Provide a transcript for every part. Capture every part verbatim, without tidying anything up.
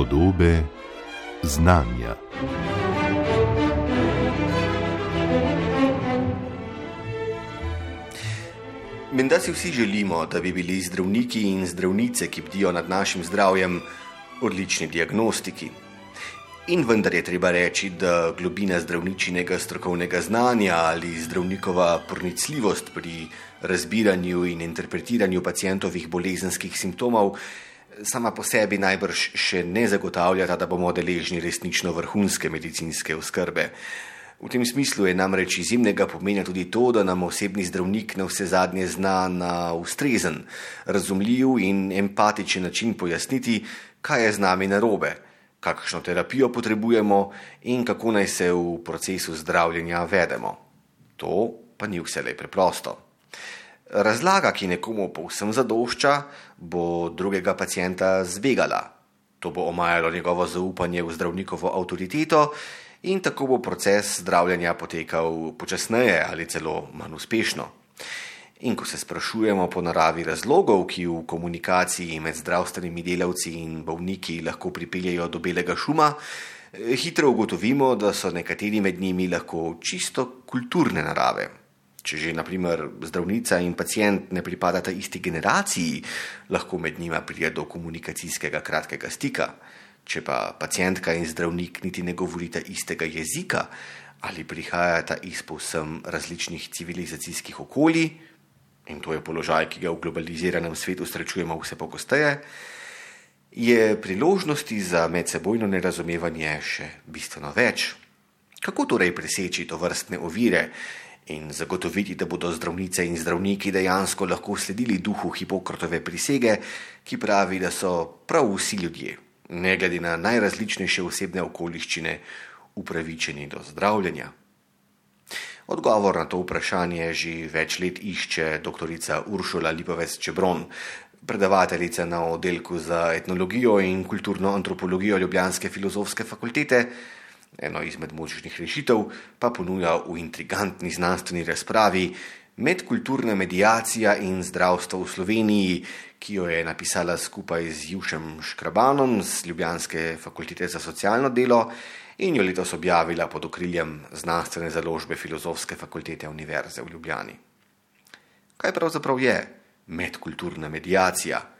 Podobe znanja. Menda si vsi želimo, da bi bili zdravniki in zdravnice, ki bdijo nad našim zdravjem, odlični diagnostiki. In vendar je treba reči, da globina zdravničinega strokovnega znanja ali zdravnikova pronicljivost pri razbiranju in interpretiranju pacientovih bolezenskih simptomov sama po sebi najbrž še ne zagotavljata, da bomo deležni resnično vrhunske medicinske oskrbe. V tem smislu je namreč izjemnega pomena tudi to, da nam osebni zdravnik na vse zadnje zna na ustrezen, razumljiv in empatičen način pojasniti, kaj je z nami narobe, kakšno terapijo potrebujemo in kako naj se v procesu zdravljenja vedemo. To pa ni vselej preprosto. Razlaga, ki nekomu povsem zadošča, bo drugega pacienta zbegala. To bo omajalo njegovo zaupanje v zdravnikovo avtoriteto in tako bo proces zdravljenja potekal počasneje ali celo manj uspešno. In ko se sprašujemo po naravi razlogov, ki v komunikaciji med zdravstvenimi delavci in bolniki lahko pripeljejo do belega šuma, hitro ugotovimo, da so nekateri med njimi lahko čisto kulturne narave. Če že, na primer, zdravnica in pacient ne pripadata isti generaciji, lahko med njima pride do komunikacijskega kratkega stika. Če pa pacientka in zdravnik niti ne govorita istega jezika ali prihajata iz povsem različnih civilizacijskih okolij, in to je položaj, ki ga v globaliziranem svetu srečujemo vse pogosteje, je priložnosti za medsebojno nerazumevanje še bistveno več. Kako torej preseči tovrstne ovire in zagotoviti, da bodo zdravnice in zdravniki dejansko lahko sledili duhu Hipokratove prisege, ki pravi, da so prav vsi ljudje, ne glede na najrazličnejše osebne okoliščine, upravičeni do zdravljenja? Odgovor na to vprašanje že več let išče doktorica Uršula Lipovec Čebron, predavateljica na oddelku za etnologijo in kulturno antropologijo ljubljanske filozofske fakultete. Eno izmed možnih rešitev pa ponuja v intrigantni znanstveni razpravi Medkulturna mediacija in zdravstvo v Sloveniji, ki jo je napisala skupaj z Jušem Škrabanom z ljubljanske fakultete za socialno delo in jo letos objavila pod okriljem znanstvene založbe Filozofske fakultete Univerze v Ljubljani. Kaj pravzaprav je medkulturna mediacija?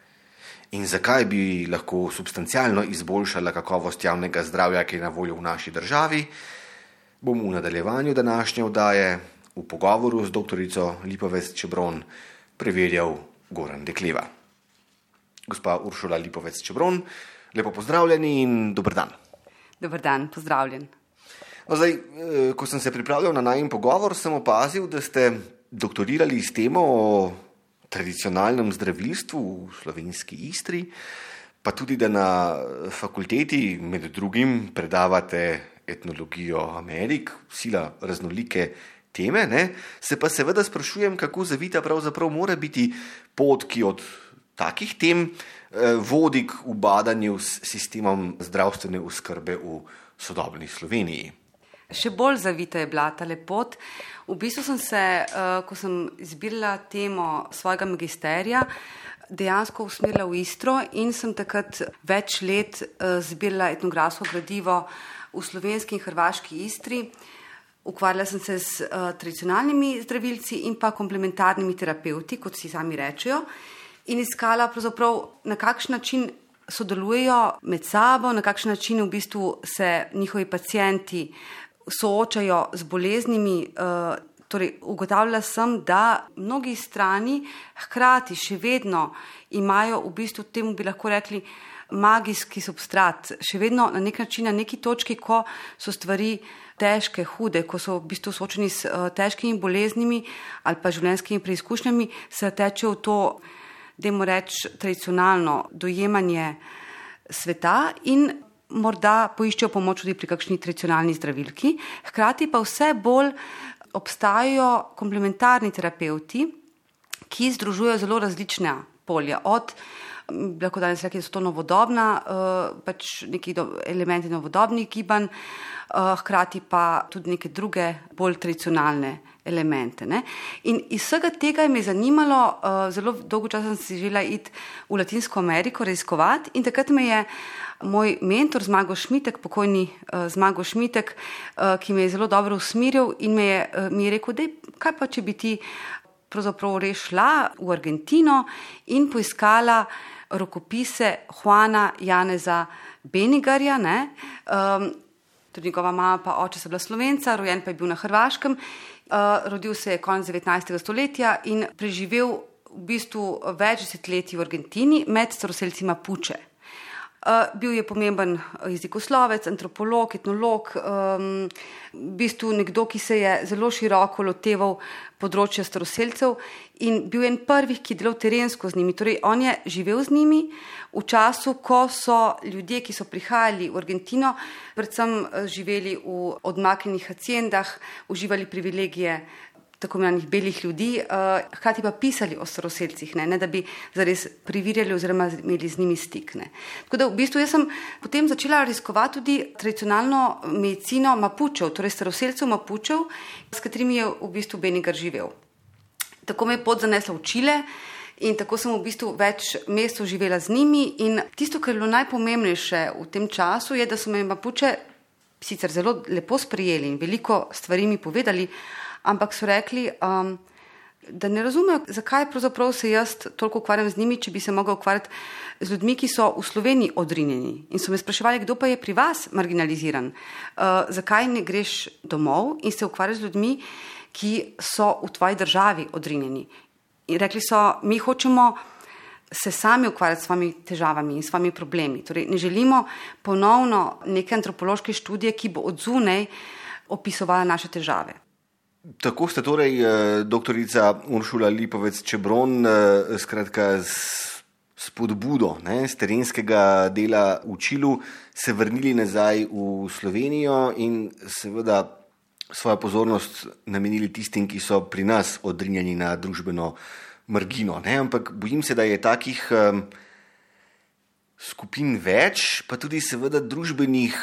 In zakaj bi lahko substancialno izboljšala kakovost javnega zdravja, ki je na voljo v naši državi, bom v nadaljevanju današnje oddaje v pogovoru z doktorico Lipovec Čebron preverjal Goran Dekleva. Gospa Uršula Lipovec Čebron, lepo pozdravljeni in dober dan. Dober dan, pozdravljen. No, zdaj, ko sem se pripravljal na najin pogovor, sem opazil, da ste doktorirali s temo o tradicionalnem zdravilstvu v slovenski Istri, pa tudi, da na fakulteti med drugim predavate etnologijo Amerik, sila raznolike teme, ne? Se pa seveda sprašujem, kako zavita pravzaprav mora biti pot, ki od takih tem eh, vodi k ubadanju s sistemom zdravstvene oskrbe v sodobni Sloveniji. Še bolj zavita je bila ta pot. V bistvu sem se, ko sem izbirala temo svojega magisterija, dejansko usmerila v Istro in sem takrat več let zbirala etnografsko gradivo v slovenski in hrvaški Istri. Ukvarjala sem se s tradicionalnimi zdravilci in pa komplementarnimi terapevti, kot si sami rečejo, in iskala pravzaprav, na kakšen način sodelujejo med sabo, na kakšen način v bistvu se njihovi pacienti soočajo z boleznimi. Torej, ugotavljala sem, da mnogi strani hkrati še vedno imajo v bistvu, temu bi lahko rekli, magijski substrat, še vedno na nek način, na neki točki, ko so stvari težke, hude, ko so v bistvu soočeni s težkimi boleznimi ali pa življenjskimi preizkušnjami, se tečejo v to, dajmo reči, tradicionalno dojemanje sveta in morda poiščejo pomoč tudi pri kakšni tradicionalni zdravilki. Hkrati pa vse bolj obstajajo komplementarni terapevti, ki združujejo zelo različna polja. Od, lahko danes rekli, da so to novodobna, pač neki elementi novodobnih gibanj, hkrati pa tudi neke druge bolj tradicionalne elemente. Ne? In iz vsega tega me je zanimalo, uh, zelo dolgo časa sem si želela iti v Latinsko Ameriko raziskovati in takrat me je moj mentor Zmago Šmitek, pokojni uh, Zmago Šmitek, uh, ki me je zelo dobro usmeril in me je, uh, mi je rekel, dej, kaj pa če bi ti pravzaprav res šla v Argentino in poiskala rokopise Juana Janeza Benigarja, ne, um, tudi njegova mama pa oče sta bila Slovenca, rojen pa je bil na Hrvaškem, uh, rodil se je konec devetnajstega stoletja in preživel v bistvu več desetletij v Argentini med staroselci Mapuche. Uh, bil je pomemben jezikoslovec, antropolog, etnolog, um, v bistvu nekdo, ki se je zelo široko loteval področja staroselcev in bil je en prvih, ki je delal terensko z njimi. Torej, on je živel z njimi v času, ko so ljudje, ki so prihajali v Argentino, predvsem živeli v odmaknjenih haciendah, uživali privilegije tako imenovanih belih ljudi, uh, hkrati pa pisali o staroselcih, ne, ne da bi zares privirjali oziroma imeli z njimi stik. Ne. Tako da v bistvu jaz sem potem začela raziskovati tudi tradicionalno medicino Mapučev, torej staroselcev Mapučev, s katerimi je v bistvu Benigar živel. Tako me je pot zanesla v Čile in tako sem v bistvu več mesecev živela z njimi in tisto, kar je bilo najpomembnejše v tem času, je, da so me Mapuče sicer zelo lepo sprejeli in veliko stvari mi povedali, ampak so rekli, um, da ne razumejo, zakaj pravzaprav se jaz toliko ukvarjam z njimi, če bi se mogel ukvarjati z ljudmi, ki so v Sloveniji odrinjeni. In so me spraševali, kdo pa je pri vas marginaliziran, uh, zakaj ne greš domov in se ukvarjaš z ljudmi, ki so v tvoji državi odrinjeni. In rekli so, mi hočemo se sami ukvarjati s svojimi težavami in s svojimi problemi. Torej, ne želimo ponovno neke antropološke študije, ki bo od zunaj opisovala naše težave. Tako ste torej, doktorica Uršula Lipovec-Čebron, skratka s spodbudo ne, z terenskega dela v Čilu se vrnili nazaj v Slovenijo in seveda svojo pozornost namenili tistim, ki so pri nas odrinjeni na družbeno margino. Ne. Ampak bojim se, da je takih um, skupin več, pa tudi seveda družbenih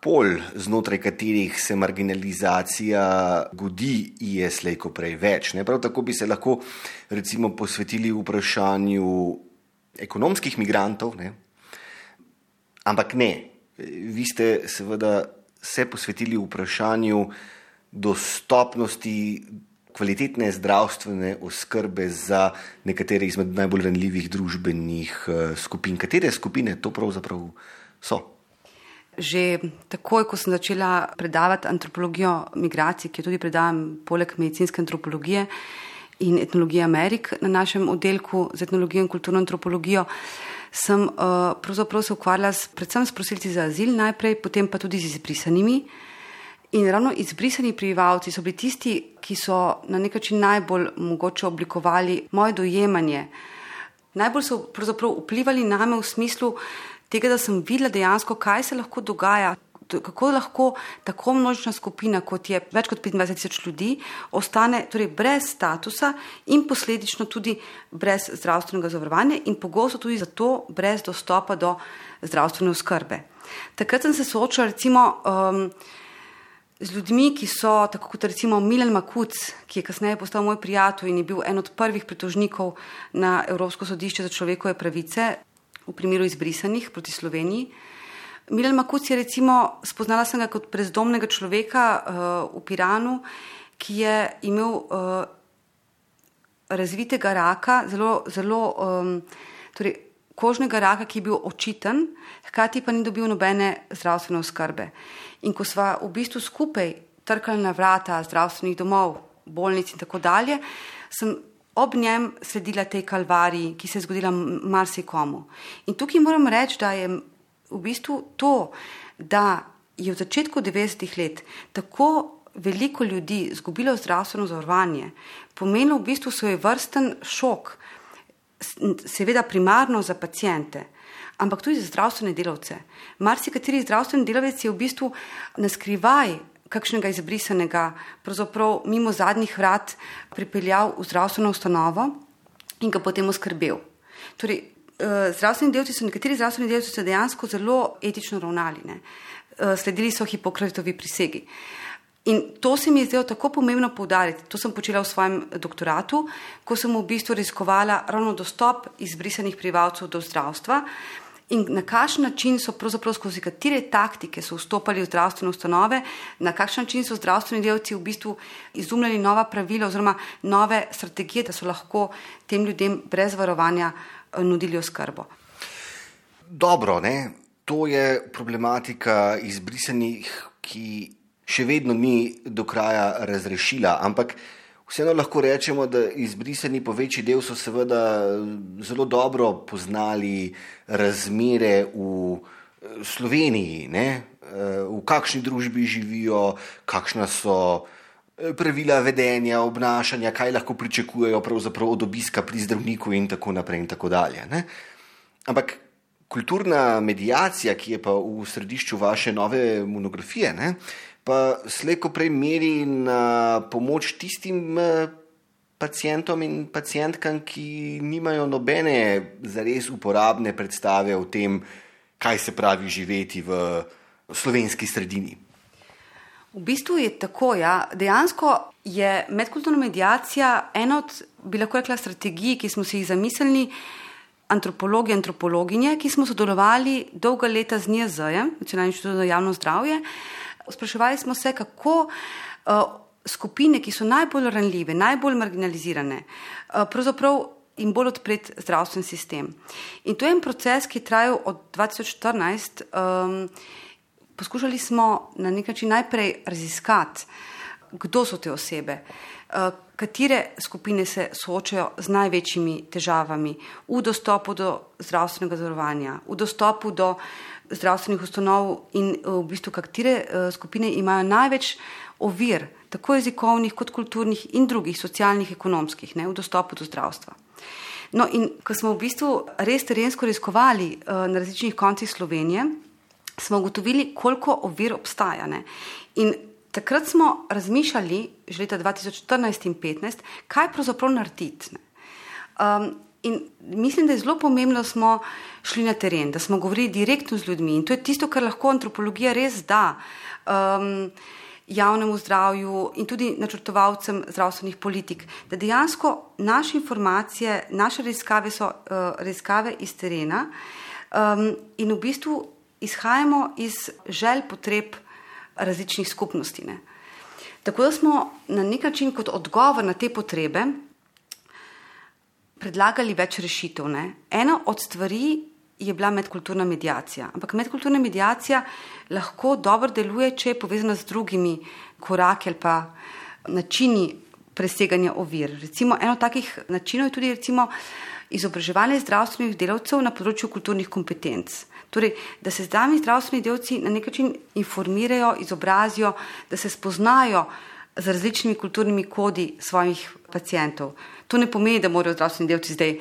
pol, znotraj katerih se marginalizacija godi, je slej ko prej več. Ne? Prav tako bi se lahko recimo posvetili vprašanju ekonomskih migrantov, ne? Ampak ne. Vi ste seveda se posvetili vprašanju dostopnosti kvalitetne zdravstvene oskrbe za nekatere izmed najbolj ranljivih družbenih skupin. Katere skupine to pravzaprav so? Že takoj, ko sem začela predavati antropologijo migracij, ki jo tudi predavam poleg medicinske antropologije in etnologije Amerik na našem oddelku z etnologijo in kulturno antropologijo, sem uh, pravzaprav se ukvarjala s, predvsem s prosilci za azil najprej, potem pa tudi z izbrisanimi. In ravno izbrisani prebivalci so bili tisti, ki so na nek način najbolj mogoče oblikovali moje dojemanje. Najbolj so pravzaprav vplivali name v smislu tega, da sem videla dejansko, kaj se lahko dogaja, kako lahko tako množična skupina, kot je več kot petindvajset tisoč ljudi, ostane torej brez statusa in posledično tudi brez zdravstvenega zavarovanja in pogosto tudi zato brez dostopa do zdravstvene oskrbe. Takrat sem se soočala recimo um, z ljudmi, ki so, tako kot recimo Milan Makuc, ki je kasneje postal moj prijatelj in je bil en od prvih pritožnikov na Evropsko sodišče za človekove pravice, v primeru izbrisanih proti Sloveniji. Milan Makuc je recimo, spoznala sem ga kot brezdomnega človeka uh, v Piranu, ki je imel uh, razvitega raka, zelo, zelo um, torej, kožnega raka, ki je bil očiten, hkrati pa ni dobil nobene zdravstvene oskrbe. In ko sva v bistvu skupaj trkali na vrata zdravstvenih domov, bolnic in tako dalje, sem ob njem sledila tej kalvariji, ki se je zgodila marsikomu. In tukaj moram reči, da je v bistvu to, da je v začetku devetdesetih let tako veliko ljudi izgubilo zdravstveno zavarovanje, pomenilo v bistvu svojevrsten šok, seveda primarno za paciente, ampak tudi za zdravstvene delavce. Marsikateri zdravstveni delavec je v bistvu naskrivaj kakšnega izbrisanega, pravzaprav mimo zadnjih vrat pripeljal v zdravstveno ustanovo in ga potem oskrbel. Torej, zdravstveni delavci so, nekateri zdravstveni delavci so dejansko zelo etično ravnali, ne. Sledili so Hipokratovi prisegi. In to se mi je zdelo tako pomembno poudariti. To sem počela v svojem doktoratu, ko sem v bistvu raziskovala ravno dostop izbrisanih prebivalcev do zdravstva in na kakšen način so pravzaprav skozi katere taktike so vstopali v zdravstvene ustanove, na kakšen način so zdravstveni delavci v bistvu izumljali nova pravila oziroma nove strategije, da so lahko tem ljudem brez varovanja nudili oskrbo. Dobro, ne? To je problematika izbrisanih, ki še vedno ni do kraja razrešila, ampak vseeno lahko rečemo, da izbrisani po večji del so seveda zelo dobro poznali razmere v Sloveniji, ne? V kakšni družbi živijo, kakšna so pravila vedenja, obnašanja, kaj lahko pričakujejo pravzaprav od obiska pri zdravniku in tako naprej in tako dalje. Ne? Ampak kulturna mediacija, ki je pa v središču vaše nove monografije, ne? Pa slejko prej meri na pomoč tistim pacientom in pacientkam, ki nimajo nobene zares uporabne predstave o tem, kaj se pravi živeti v slovenski sredini. V bistvu je tako, ja. Dejansko je medkulturna mediacija ena od, bi lahko rekla, strategij, ki smo si jih zamislili antropologi, antropologinje, ki smo sodelovali dolga leta z N I J Z-jem, Nacionalnim inštitutom za javno zdravje. Spraševali smo se, kako uh, skupine, ki so najbolj ranljive, najbolj marginalizirane, uh, pravzaprav jim bolj odpret zdravstven sistem. In to je en proces, ki je trajal od dva tisoč štirinajst. Um, poskušali smo na nek način najprej raziskati, kdo so te osebe, uh, katere skupine se soočajo z največjimi težavami v dostopu do zdravstvenega zavarovanja, v dostopu do zdravstvenih ustanov in v bistvu katere skupine imajo največ ovir, tako jezikovnih kot kulturnih in drugih, socialnih, ekonomskih, ne, v dostopu do zdravstva. No in ko smo v bistvu res terensko raziskovali na različnih koncih Slovenije, smo ugotovili, koliko ovir obstaja. Ne. In takrat smo razmišljali, že leta dva tisoč štirinajst in petnajst, kaj pravzaprav narediti. Um, In mislim, da je zelo pomembno, da smo šli na teren, da smo govorili direktno z ljudmi. In to je tisto, kar lahko antropologija res da um, javnemu zdravju in tudi načrtovalcem zdravstvenih politik. Da dejansko naše informacije, naše raziskave so uh, raziskave iz terena um, in v bistvu izhajamo iz želj, potreb različnih skupnosti. Ne. Tako da smo na nek način kot odgovor na te potrebe predlagali več rešitev. Ne. Ena od stvari je bila medkulturna mediacija. Ampak medkulturna mediacija lahko dobro deluje, če je povezana z drugimi koraki ali pa načini preseganja ovir. Recimo, eno takih načinov je tudi recimo izobraževanje zdravstvenih delavcev na področju kulturnih kompetenc. Torej, da se zdravi zdravstveni delavci na nek način informirajo, izobrazijo, da se spoznajo z različnimi kulturnimi kodi svojih pacientov. To ne pomeni, da morajo zdravstveni delavci zdaj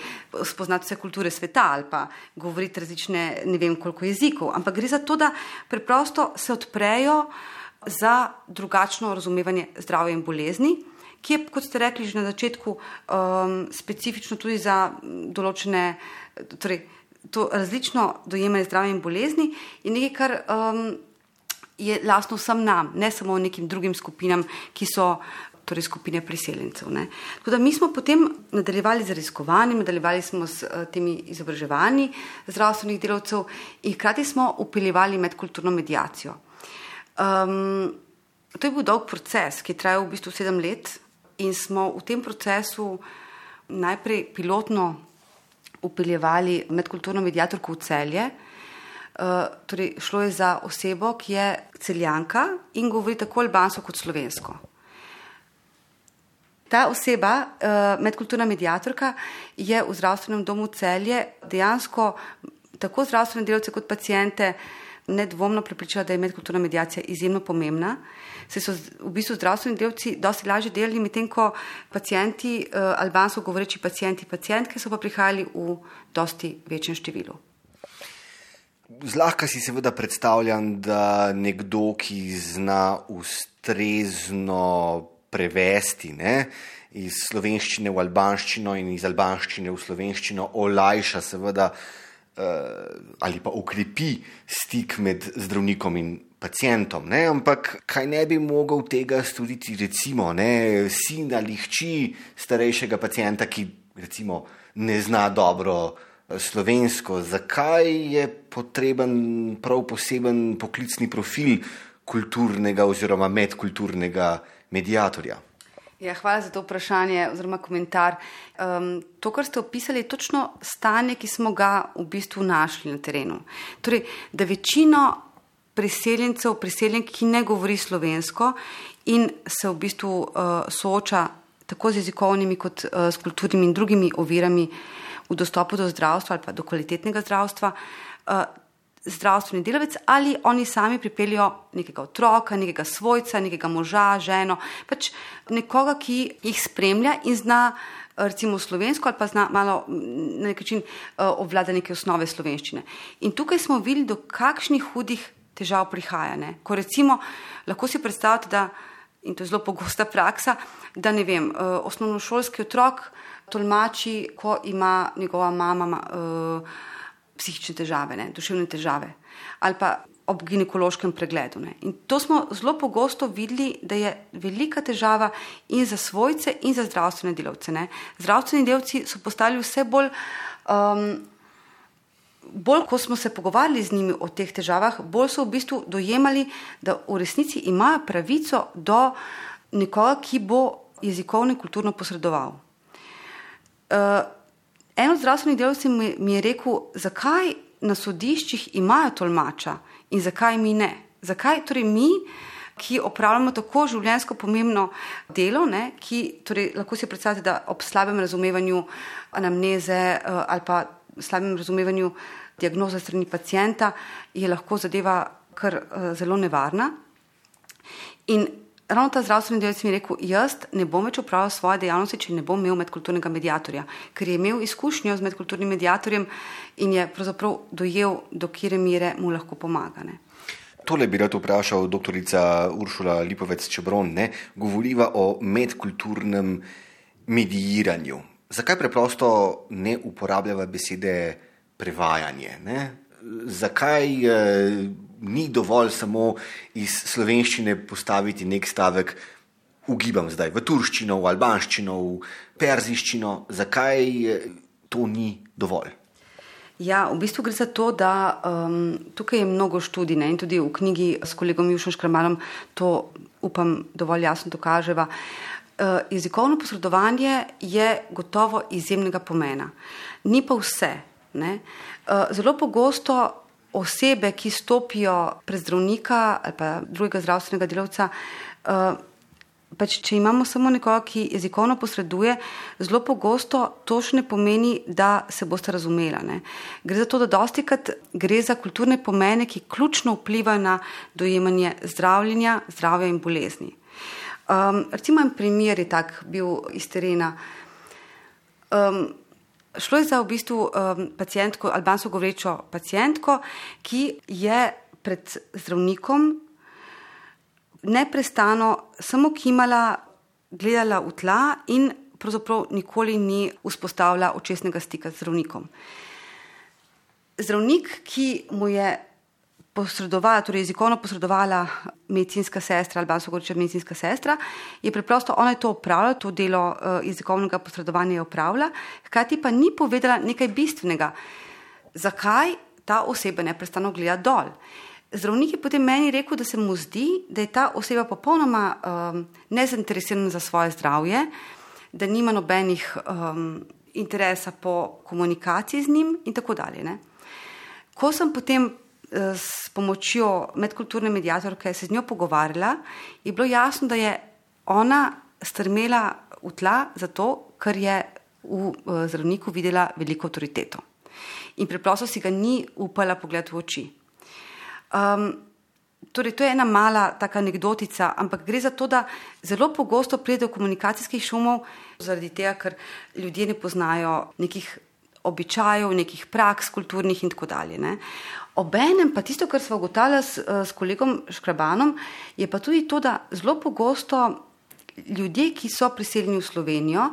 spoznati vse kulture sveta ali pa govoriti različne, ne vem koliko jezikov, ampak gre za to, da preprosto se odprejo za drugačno razumevanje zdravja in bolezni, ki je, kot ste rekli že na začetku, um, specifično tudi za določene, torej to različno dojemanje zdravja in bolezni je nekaj, kar um, je lastno vsem nam, ne samo nekim drugim skupinam, ki so torej skupine priseljencev. Ne. Tako da mi smo potem nadaljevali z raziskovanjem, nadaljevali smo s uh, temi izobraževanji zdravstvenih delavcev in hkrati smo vpeljevali medkulturno mediacijo. Um, to je bil dolg proces, ki je trajal v bistvu sedem let in smo v tem procesu najprej pilotno vpeljevali medkulturno mediatorko v Celje. Uh, torej šlo je za osebo, ki je Celjanka in govori tako albansko kot slovensko. Ta oseba, uh, medkulturna mediatorka, je v zdravstvenem domu Celje dejansko tako zdravstvene delavce kot paciente nedvomno prepričala, da je medkulturna mediacija izjemno pomembna. Se so v bistvu zdravstveni delavci dosti lažje delali, medtem ko pacienti, uh, albansko govoreči pacienti, pacientke so pa prihajali v dosti večjem številu. Zlahka si seveda predstavljam, da nekdo, ki zna ustrezno prevesti, ne, iz slovenščine v albanščino in iz albanščine v slovenščino, olajša seveda ali pa okrepi stik med zdravnikom in pacientom, ne? Ampak kaj ne bi mogel tega storiti recimo ne, sin ali hči starejšega pacienta, ki recimo ne zna dobro slovensko. Zakaj je potreben prav poseben poklicni profil kulturnega oziroma medkulturnega mediatorja? Ja, hvala za to vprašanje oziroma komentar. Um, to, kar ste opisali, je točno stanje, ki smo ga v bistvu našli na terenu. Torej, da večino priseljencev, priseljenk, ki ne govori slovensko in se v bistvu uh, sooča tako z jezikovnimi kot uh, s kulturnimi in drugimi ovirami v dostopu do zdravstva ali pa do kvalitetnega zdravstva, uh, zdravstveni delavec ali oni sami pripeljajo nekega otroka, nekega svojca, nekega moža, ženo, pač nekoga, ki jih spremlja in zna recimo slovensko ali pa zna malo na nek način uh, obvlada neke osnove slovenščine. In tukaj smo videli, do kakšnih hudih težav prihaja. Ne? Ko recimo, lahko si predstavljate, da, in to je zelo pogosta praksa, da ne vem, uh, osnovnošolski otrok tolmači, ko ima njegova mama uh, psihične težave, ne, duševne težave, ali pa ob ginekološkem pregledu. Ne. In to smo zelo pogosto videli, da je velika težava in za svojce in za zdravstvene delavce. Ne. Zdravstveni delavci so postali vse bolj, um, bolj, ko smo se pogovarjali z njimi o teh težavah, bolj so v bistvu dojemali, da v resnici imajo pravico do nekoga, ki bo jezikovno in kulturno posredoval. Uh, En od zdravstvenih delavcev mi je rekel, zakaj na sodiščih imajo tolmača in zakaj mi ne. Zakaj torej mi, ki opravljamo tako življenjsko pomembno delo, ne, ki torej lahko si predstavljate, da ob slabem razumevanju anamneze ali pa slabem razumevanju diagnoze strani pacienta je lahko zadeva kar zelo nevarna. In ravno ta zdravstveni delavec mi je rekel, jaz ne bom več opravljal svoje dejavnosti, če ne bom imel medkulturnega mediatorja, ker je imel izkušnjo z medkulturnim mediatorjem in je pravzaprav dojel, do kire mere mu lahko pomaga. Ne. Tole bi rad vprašal doktorica Uršula Lipovec-Čebron, ne, govoriva o medkulturnem mediiranju. Zakaj preprosto ne uporabljava besede prevajanje? Ne? Zakaj eh, ni dovolj samo iz slovenščine postaviti nek stavek, ugibam zdaj, v turščino, v albanščino, v perziščino, zakaj to ni dovolj? Ja, v bistvu gre za to, da um, tukaj je mnogo študij, ne, in tudi v knjigi s kolegom Jušom Škramalom to, upam, dovolj jasno dokaževa. Uh, jezikovno posredovanje je gotovo izjemnega pomena. Ni pa vse. Ne. Uh, zelo pogosto osebe, ki stopijo pred zdravnika ali pa drugega zdravstvenega delavca, uh, pač če imamo samo nekoga, ki jezikovno posreduje, zelo pogosto to še ne pomeni, da se boste razumela. Ne. Gre za to, da dostikrat gre za kulturne pomene, ki ključno vplivajo na dojemanje zdravljenja, zdravja in bolezni. Um, recimo en primer je tak bil iz terena. Um, Šlo je za v bistvu um, pacientko, albansko govorečo pacientko, ki je pred zdravnikom neprestano samo kimala, gledala v tla in pravzaprav nikoli ni vzpostavila očesnega stika z zdravnikom. Zdravnik, ki mu je posredovala, torej jezikovno posredovala medicinska sestra, albansko govoreča medicinska sestra, je preprosto, ona je to opravila, to delo uh, jezikovnega posredovanja je opravila, hkrati pa ni povedala nekaj bistvenega, zakaj ta oseba neprestano gleda dol. Zdravnik je potem meni rekel, da se mu zdi, da je ta oseba popolnoma um, nezainteresirana za svoje zdravje, da nima nobenih um, interesa po komunikaciji z njim in tako dalje. Ne. Ko sem potem s pomočjo medkulturne mediatorke se z njo pogovarjala, je bilo jasno, da je ona strmela v tla zato, ker je v zdravniku videla veliko avtoriteto. In preprosto si ga ni upala pogledati v oči. Um, torej, to je ena mala taka anekdotica, ampak gre za to, da zelo pogosto pride do komunikacijskih šumov, zaradi tega, ker ljudje ne poznajo nekih običajev, nekih praks kulturnih in tako dalje. Ne. Obenem pa tisto, kar smo ugotavljali s, s kolegom Škrabanom, je pa tudi to, da zelo pogosto ljudje, ki so priseljeni v Slovenijo,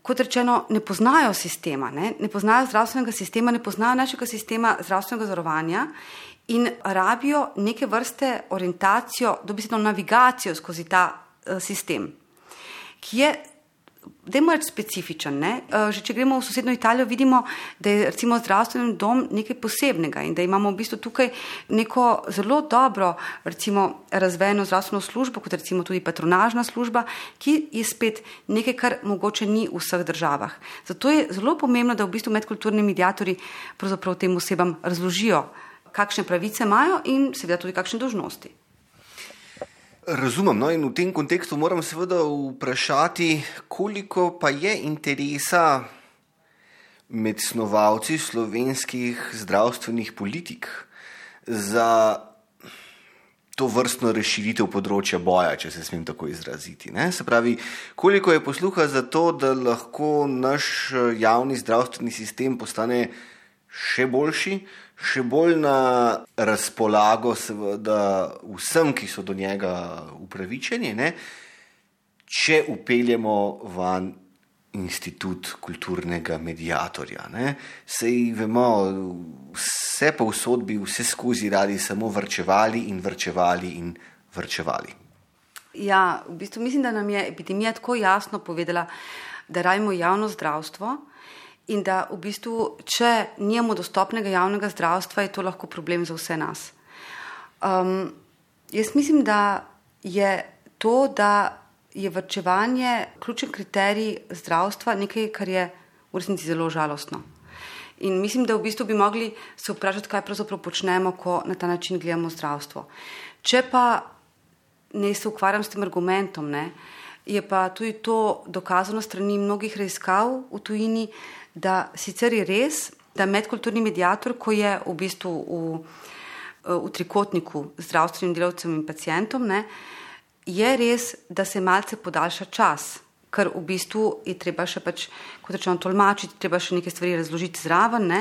kot rečeno, ne poznajo sistema, ne, ne poznajo zdravstvenega sistema, ne poznajo našega sistema zdravstvenega zavarovanja in rabijo neke vrste orientacijo, dobesedno navigacijo skozi ta uh, sistem, ki je dajmo reči specifičen. Ne? Že če gremo v sosednjo Italijo, vidimo, da je recimo zdravstveni dom nekaj posebnega in da imamo v bistvu tukaj neko zelo dobro recimo razvejeno zdravstveno službo, kot recimo tudi patronažna služba, ki je spet nekaj, kar mogoče ni v vseh državah. Zato je zelo pomembno, da v bistvu medkulturni mediatorji pravzaprav tem osebam razložijo, kakšne pravice imajo in seveda tudi kakšne dolžnosti. Razumem, no, in v tem kontekstu moram seveda vprašati, koliko pa je interesa med snovalci slovenskih zdravstvenih politik za to vrstno razširitev področja boja, če se smem tako izraziti. Ne? Se pravi, koliko je posluha za to, da lahko naš javni zdravstveni sistem postane še boljši, še bolj na razpolago seveda vsem, ki so do njega upravičeni, ne? Če upeljemo van institut kulturnega mediatorja. Ne? Sej vemo, vse pa v sodbi, vse skozi radi samo vrčevali in vrčevali in vrčevali. Ja, v bistvu mislim, da nam je epidemija tako jasno povedala, da rabimo javno zdravstvo, in da v bistvu, če nimamo dostopnega javnega zdravstva, je to lahko problem za vse nas. Um, jaz mislim, da je to, da je varčevanje ključen kriterij zdravstva nekaj, kar je v resnici zelo žalostno. In mislim, da v bistvu bi mogli se vprašati, kaj pravzaprav počnemo, ko na ta način gledamo zdravstvo. Če pa ne se ukvarjam s tem argumentom, ne, je pa tudi to dokazano strani mnogih raziskav v tujini, da sicer je res, da medkulturni mediator, ko je v bistvu v, v trikotniku zdravstvenim delavcem in pacientom, ne, je res, da se malce podaljša čas, ker v bistvu je treba še pač, kot rečeno, tolmačiti, treba še neke stvari razložiti zraven, ne,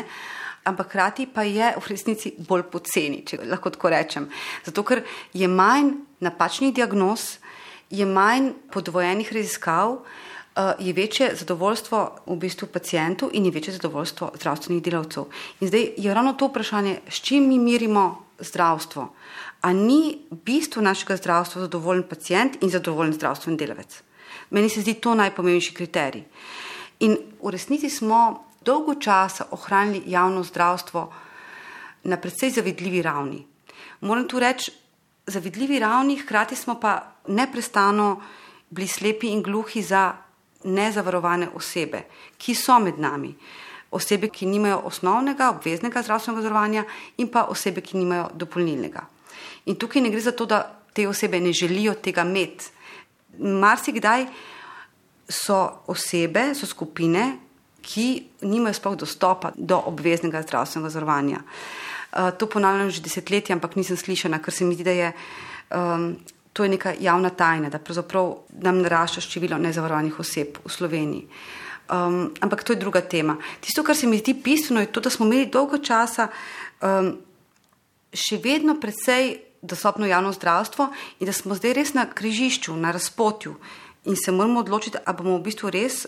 ampak hkrati pa je v resnici bolj poceni, če lahko tako rečem. Zato, ker je manj napačnih diagnoz, je manj podvojenih raziskav, je večje zadovoljstvo v bistvu pacientov in je večje zadovoljstvo zdravstvenih delavcev. In zdaj je ravno to vprašanje, s čim mi merimo zdravstvo. A ni bistvo našega zdravstva zadovoljen pacient in zadovoljen zdravstveni delavec? Meni se zdi to najpomembnejši kriterij. In v resnici smo dolgo časa ohranili javno zdravstvo na precej zavidljivi ravni. Moram tu reči, zavidljivi ravni, hkrati smo pa neprestano bili slepi in gluhi za nezavarovane osebe, ki so med nami. Osebe, ki nimajo osnovnega, obveznega zdravstvenega zavarovanja in pa osebe, ki nimajo dopolnilnega. In tukaj ne gre za to, da te osebe ne želijo tega imeti. Marsikdaj so osebe, so skupine, ki nimajo sploh dostopa do obveznega zdravstvenega zavarovanja. Uh, to ponavljam že desetletje, ampak nisem slišana, ker se mi zdi, da je um, to je neka javna tajna, da pravzaprav nam narašča število nezavarovanih oseb v Sloveniji. Um, ampak to je druga tema. Tisto, kar se mi zdi bistveno, je to, da smo imeli dolgo časa um, še vedno precej dostopno javno zdravstvo in da smo zdaj res na križišču, na razpotju in se moramo odločiti, a bomo v bistvu res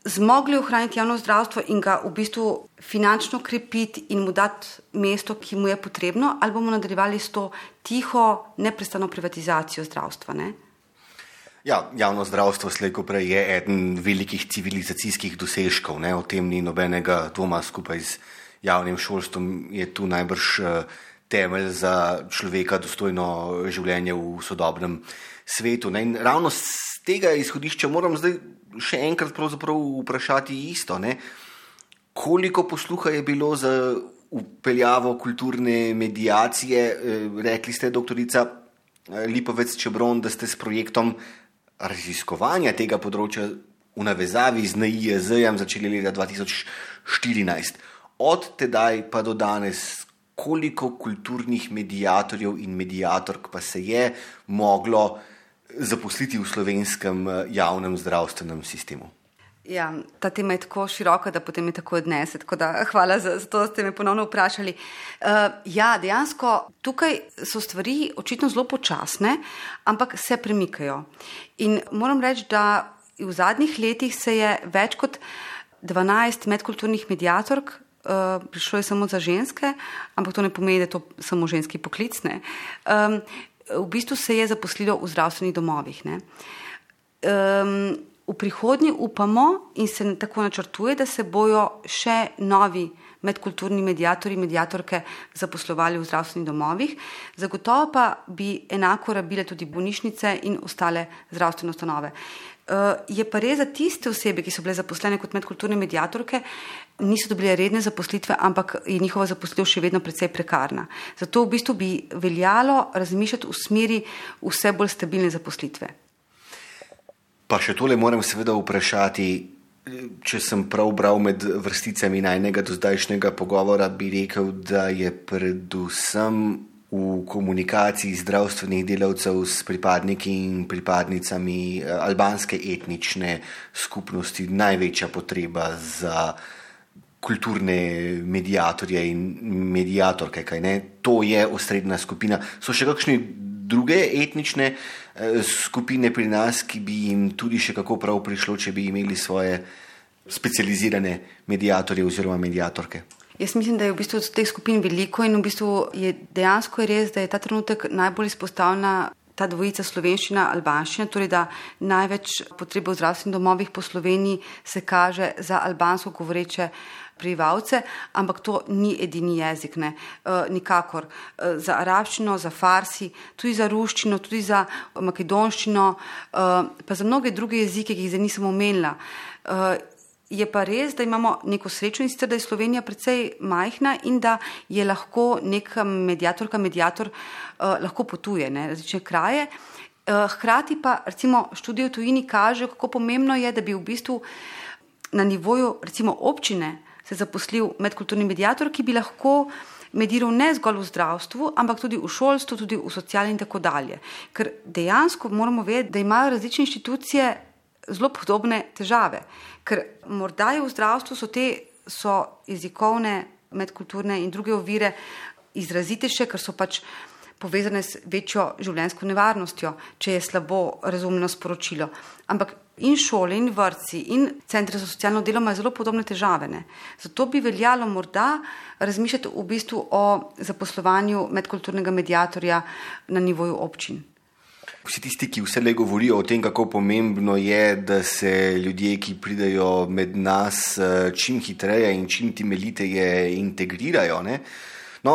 zmogli ohraniti javno zdravstvo in ga v bistvu finančno krepiti in mu dati mesto, ki mu je potrebno, ali bomo nadaljevali s to tiho, neprestano privatizacijo zdravstva, ne? Ja, javno zdravstvo slej ko prej je eden velikih civilizacijskih dosežkov, ne? O tem ni nobenega dvoma. Skupaj z javnim šolstvom je tu najbrž temelj za človeka dostojno življenje v sodobnem svetu, ne? In ravno z tega izhodišča moram zdaj še enkrat pravzaprav vprašati isto, ne? Koliko posluha je bilo za upeljavo kulturne mediacije? Rekli ste, doktorica Lipovec Čebron, da ste s projektom raziskovanja tega področja v navezavi z N I J Z-jem začeli leta dva tisoč štirinajst. Od tedaj pa do danes, koliko kulturnih mediatorjev in mediatork pa se je moglo zaposliti v slovenskem javnem zdravstvenem sistemu? Ja, ta tema je tako široka, da potem je tako odnese, tako da hvala za, za to, da ste me ponovno vprašali. Uh, ja, dejansko tukaj so stvari očitno zelo počasne, ampak se premikajo. In moram reči, da v zadnjih letih se je več kot dvanajst medkulturnih mediatork, uh, prišlo je samo za ženske, ampak to ne pomeni, da je to samo ženski poklic, ne. Um, v bistvu se je zaposlilo v zdravstvenih domovih, ne. Um, v prihodnje upamo in se tako načrtuje, da se bojo še novi medkulturni mediatorji, mediatorke zaposlovali v zdravstvenih domovih. Zagotovo pa bi enako rabile tudi bolnišnice in ostale zdravstvene ustanove. Uh, je pa res za tiste osebe, ki so bile zaposlene kot medkulturne mediatorke, niso dobile redne zaposlitve, ampak je njihova zaposlitev še vedno precej prekarna. Zato v bistvu bi veljalo razmišljati v smeri vse bolj stabilne zaposlitve. Pa še tole moram seveda vprašati, če sem prav bral med vrsticami najnega do zdajšnjega pogovora, bi rekel, da je predvsem v komunikaciji zdravstvenih delavcev s pripadniki in pripadnicami albanske etnične skupnosti največja potreba za kulturne mediatorje in mediatorke, kaj ne? To je osrednja skupina. So še kakšni druge etnične skupine pri nas, ki bi jim tudi še kako prav prišlo, če bi imeli svoje specializirane mediatorje oziroma mediatorke? Jaz mislim, da je v bistvu teh skupin veliko in v bistvu je dejansko je res, da je ta trenutek najbolj izpostavljena ta dvojica slovenščina, albanščina, torej da največ potrebe v zdravstvenih domovih po Sloveniji se kaže za albansko govoreče prebivalce, ampak to ni edini jezik, ne, e, nikakor. E, za arabščino, za farsi, tudi za ruščino, tudi za makedonščino, e, pa za mnoge druge jezike, ki jih zdaj nisem omenila. E, je pa res, da imamo neko srečo in sicer, da je Slovenija precej majhna in da je lahko neka mediatorka, mediator uh, lahko potuje, ne, različne kraje. Uh, hkrati pa recimo študije v tujini kaže, kako pomembno je, da bi v bistvu na nivoju recimo občine se zaposlil medkulturni mediator, ki bi lahko mediral ne zgolj v zdravstvu, ampak tudi v šolstvu, tudi v sociali in tako dalje. Ker dejansko moramo vedeti, da imajo različne inštitucije zelo podobne težave. Ker morda je v zdravstvu so te so jezikovne, medkulturne in druge ovire izrazitejše, ker so pač povezane s večjo življenjsko nevarnostjo, če je slabo razumljeno sporočilo. Ampak in šole, in vrtci, in centri za socialno delo imajo zelo podobne težave, ne. Zato bi veljalo morda razmišljati v bistvu o zaposlovanju medkulturnega mediatorja na nivoju občin. Vsi tisti, ki vselej govorijo o tem, kako pomembno je, da se ljudje, ki pridejo med nas, čim hitreje in čim temeljiteje integrirajo, ne? No,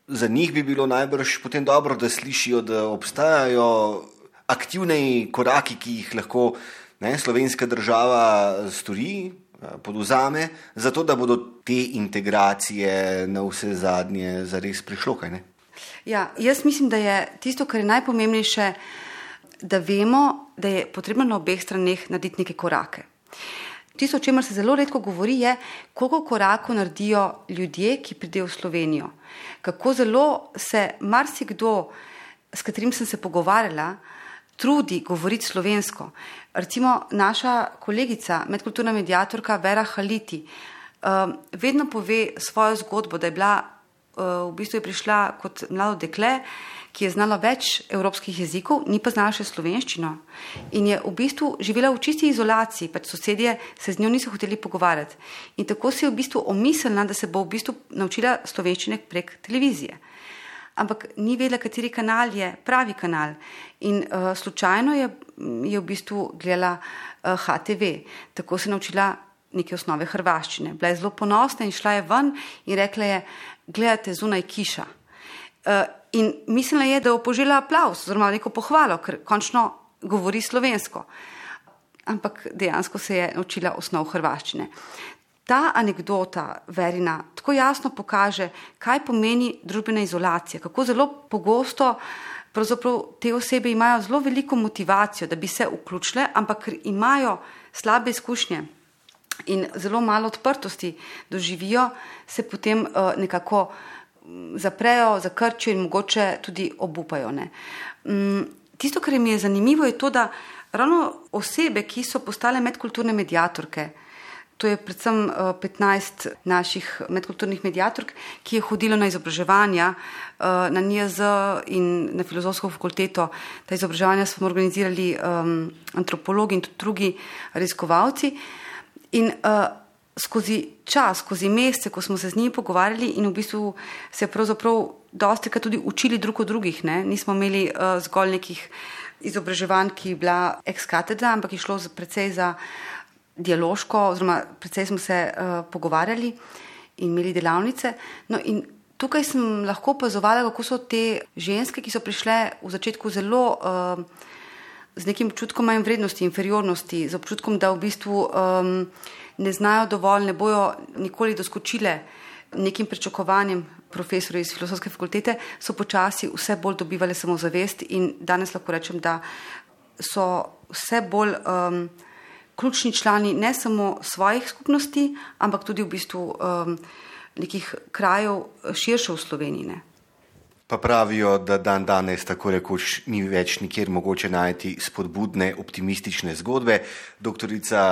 za njih bi bilo najbrž potem dobro, da slišijo, da obstajajo aktivni koraki, ki jih lahko, ne, slovenska država stori, podvzame, zato da bodo te integracije na vse zadnje zares prišlo, kaj ne? Ja, jaz mislim, da je tisto, kar je najpomembnejše, da vemo, da je potrebno na obeh straneh narediti neke korake. Tisto, o čemer se zelo redko govori, je, koliko korakov naredijo ljudje, ki pridejo v Slovenijo. Kako zelo se marsikdo, s katerim sem se pogovarjala, trudi govoriti slovensko. Recimo naša kolegica, medkulturna mediatorka Vera Haliti, vedno pove svojo zgodbo, da je bila, v bistvu je prišla kot mlado dekle, ki je znala več evropskih jezikov, ni pa znala še slovenščino. In je v bistvu živela v čisti izolaciji, pač sosedje se z njo niso hoteli pogovarjati. In tako si je v bistvu omislila, da se bo v bistvu naučila slovenščine prek televizije. Ampak ni vedela, kateri kanal je pravi kanal. In uh, slučajno je, je v bistvu gledala uh, H T V. Tako se je naučila neke osnove hrvaščine. Bila je zelo ponosna in šla je ven in rekla je, gledate, zunaj kiša. Uh, in mislila je, da bo požela aplavz, oziroma neko pohvalo, ker končno govori slovensko. Ampak dejansko se je naučila osnov hrvaščine. Ta anekdota Verina tako jasno pokaže, kaj pomeni družbena izolacija, kako zelo pogosto pravzaprav te osebe imajo zelo veliko motivacijo, da bi se vključile, ampak ker imajo slabe izkušnje in zelo malo odprtosti doživijo, se potem uh, nekako zaprejo, zakrčijo in mogoče tudi obupajo, ne. Um, tisto, kar mi je zanimivo, je to, da ravno osebe, ki so postale medkulturne mediatorke, To je predvsem petnajst naših medkulturnih mediatork, ki je hodilo na izobraževanja na N I J Z in na Filozofsko fakulteto. Ta izobraževanja smo organizirali um, antropologi in tudi drugi raziskovalci. In uh, skozi čas, skozi mesece, ko smo se z njimi pogovarjali in v bistvu se pravzaprav dostikrat tudi učili drug od drugih, ne? Nismo imeli uh, zgolj nekih izobraževanj, ki je bila ex cathedra, ampak je šlo precej za dialoško, oziroma precej smo se uh, pogovarjali in imeli delavnice. No in tukaj sem lahko opazovala, kako so te ženske, ki so prišle v začetku zelo uh, z nekim občutkom manj vrednosti, inferiornosti, z občutkom, da v bistvu um, ne znajo dovolj, ne bojo nikoli doskočile nekim pričakovanjem profesorjev iz Filozofske fakultete, so počasi vse bolj dobivale samozavest in danes lahko rečem, da so vse bolj um, ključni člani ne samo svojih skupnosti, ampak tudi v bistvu um, nekih krajev širše v Sloveniji. Ne? Pa pravijo, da dan danes tako rekoč ni več nikjer mogoče najti spodbudne, optimistične zgodbe. Doktorica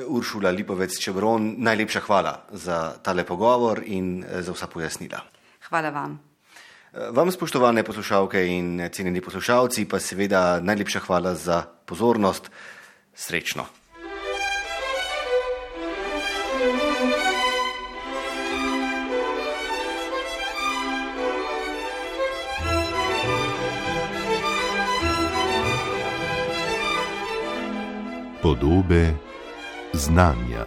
Uršula Lipovec Čebron, najlepša hvala za tale pogovor in za vsa pojasnila. Hvala vam. Vam, spoštovane poslušalke in cenjeni poslušalci, pa seveda najlepša hvala za pozornost. Srečno. Podobe znanja.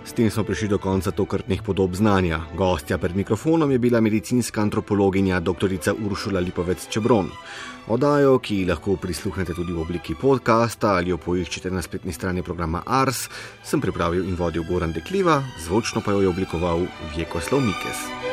S tem smo prišli do konca tokratnih podob znanja. Gostja pred mikrofonom je bila medicinska antropologinja doktorica Uršula Lipovec Čebron. Oddajo, ki lahko prisluhnete tudi v obliki podcasta ali jo poiščete na spletni strani programa Ars, sem pripravil in vodil Goran Dekliva, zvočno pa jo je oblikoval Vjekoslav Mikes.